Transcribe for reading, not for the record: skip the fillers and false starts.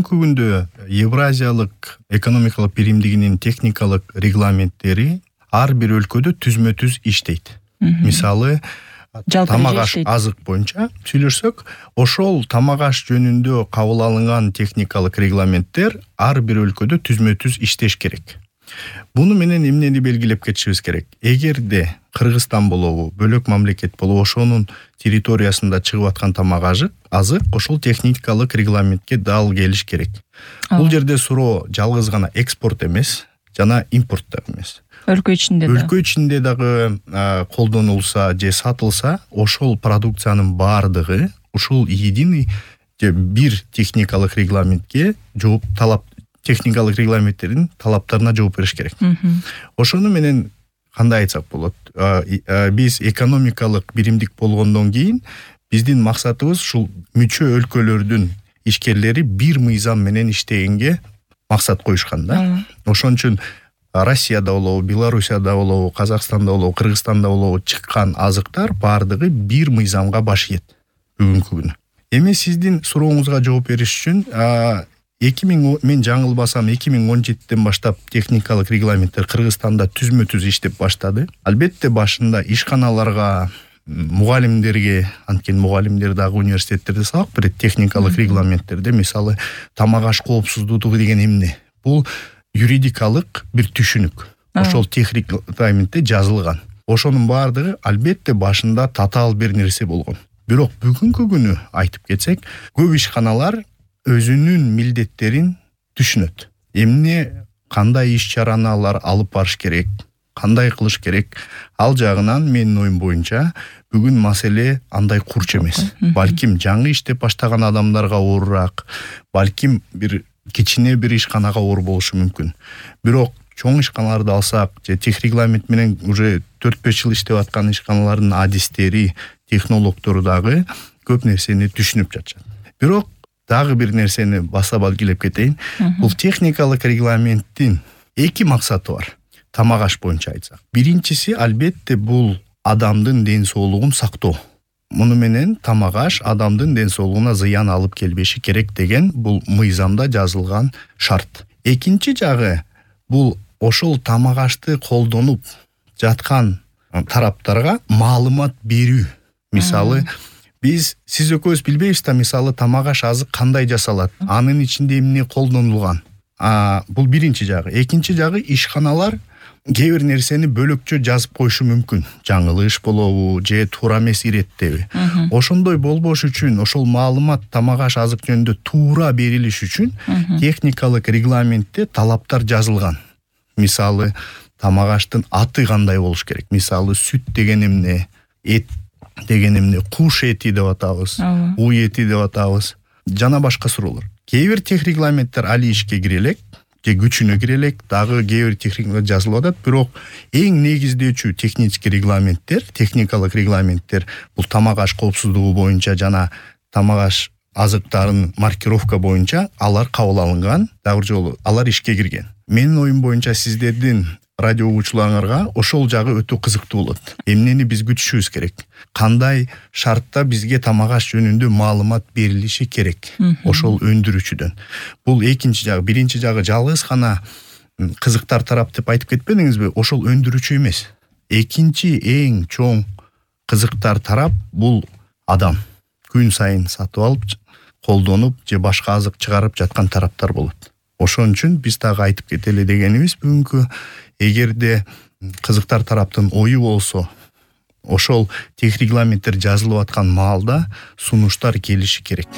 бүгүнкү күндө Евразиялык экономикалык биримдигинин техникалык регламенттери ар бир өлкөдө түзмө-түз иштейт. Мисалы, тамак аш азык боюнча сүйлөшсөк, ошол тамак аш жөнүндө кабыл алынган техникалык регламенттер ар бир өлкөдө түзмө-түз иштеш керек. Буну менен эмнени белгилеп кетишибиз керек? Эгерде Кыргызстан болобу, бөлөк мамлекет болобу, ошонун территориясында чыгып аткан тамак азык ошол техникалык регламентке дал келиш керек. Бул жерде суроо жалгыз гана экспорт эмес, жана импорт да эмес. Өлкө ичинде дагы колдонулса же сатылса, ошол продукциянын баардыгы ушул единый же бир техникалык регламентке техникалык регламенттердин талаптарына жооп бериш керек. Ошону менен кандай айтсак болот? Биз экономикалык биримдик болгондон кийин биздин максатыбыз ушул мүчө өлкөлөрдүн ишкерлери бир мыйзам менен иштегенге максат коюшкан да. Ошон үчүн Россияда болобу, Белоруссияда болобу, Казакстанда болобу, Кыргызстанда болобу чыккан азыктар баардыгы бир мыйзамга баш ийет бүгүнкү күнү. Эми сиздин сурооңузга жооп бериш үчүн мен жаңылбасам 2017-ден баштап техникалык регламенттер Кыргызстанда түзмө-түз иштеп баштады. Албетте башында ишканаларга, мугалимдерге, анткени мугалимдер дагы университеттерде сабак берет техникалык регламенттерде, мисалы, тамак аш коопсуздугу деген эмне? Бул юридикалык бир түшүнүк. Ошол техникалык регламентте жазылган. Ошонун баардыгы албетте башында татаал бир нерсе болгон. Бирок бүгүнкү күнү айтып кетсек, көп ишканалар өзүнүн милдеттерин түшүнөт. Эмне, кандай иш-чараны алар алып барыш керек, кандай кылыш керек, ал жагынан менин оюм боюнча бүгүн маселе андай курч эмес. Балким жаңы иштеп баштаган адамдарга оорураак, балким бир кичине бир ишканага оор болушу мүмкүн. Бирок чоң ишканаларды алсак, же тех регламент менен уже 4-5 жыл иштеп аткан ишканалардын адистери, технологдору дагы көп нерсени түшүнүп жатышат. Бирок дагы бир нерсени баса белгилеп кетейин. Бул техникалык регламенттин эки максаты бар. Тамак аш боюнча айтсак. Биринчиси албетте бул адамдын ден соолугун сактоо. Муну менен тамак аш адамдын ден соолугуна зыян алып келбеши керек деген бул мыйзамда жазылган шарт. Экинчи жагы бул ошол тамак ашты колдонуп жаткан тараптарга маалымат берүү. Мисалы, сиз экөөбүз билбейбиз да, мисалы, тамак аш азык кандай жасалат, анын ичинде эмне колдонулган. Бул биринчи жагы. Экинчи жагы, ишканалар кээ бир нерсени бөлөкчө жазып коюшу мүмкүн. Жаңылыш болобу, же туура эмес иреттеби. Ошондой болбош үчүн, ошол маалымат тамак аш азык жөнүндө туура берилиш үчүн техникалык регламентте талаптар жазылган. Мисалы, тамак аштын аты кандай болуш керек. Мисалы, сүт деген эмне, эт деген эмне, куш эти деп атабыз, уй эти деп атабыз, жана башка суроолор. Кээ бир тех регламенттер али ишке кире элек, же күчүнө кире элек, дагы кээ бир тех регламент жазылып атат, бирок эң негиздөөчү технический регламенттер, техникалык регламенттер бул тамак аш коопсуздугу боюнча жана тамак аш азыктарын маркировка боюнча алар кабыл алынган, дагы жолу алар ишке кирген. Менин оюм боюнча сиздердин радио угуучуларыңарга ошол жагы өтө кызыктуу болот. Эмнени биз күтүшүбүз керек? Кандай шартта бизге тамак аш жөнүндө маалымат берилиши керек? Ошол өндүрүүчүдөн. Бул экинчи жагы. Биринчи жагы жалгыз гана кызыктар тарап деп айтып кетпедиңизби? Ошол өндүрүүчү эмес. Экинчи эң чоң кызыктар тарап бул адам. Күн сайын сатып алып, колдонуп же башка азык чыгарып жаткан тараптар болот. Ошон үчүн биз дагы айтып кетели дегенибиз бүгүнкү, эгерде кызыктар тараптын ою болсо, ошол тех регламенттер жазылып аткан маалда сунуштар келиши керек.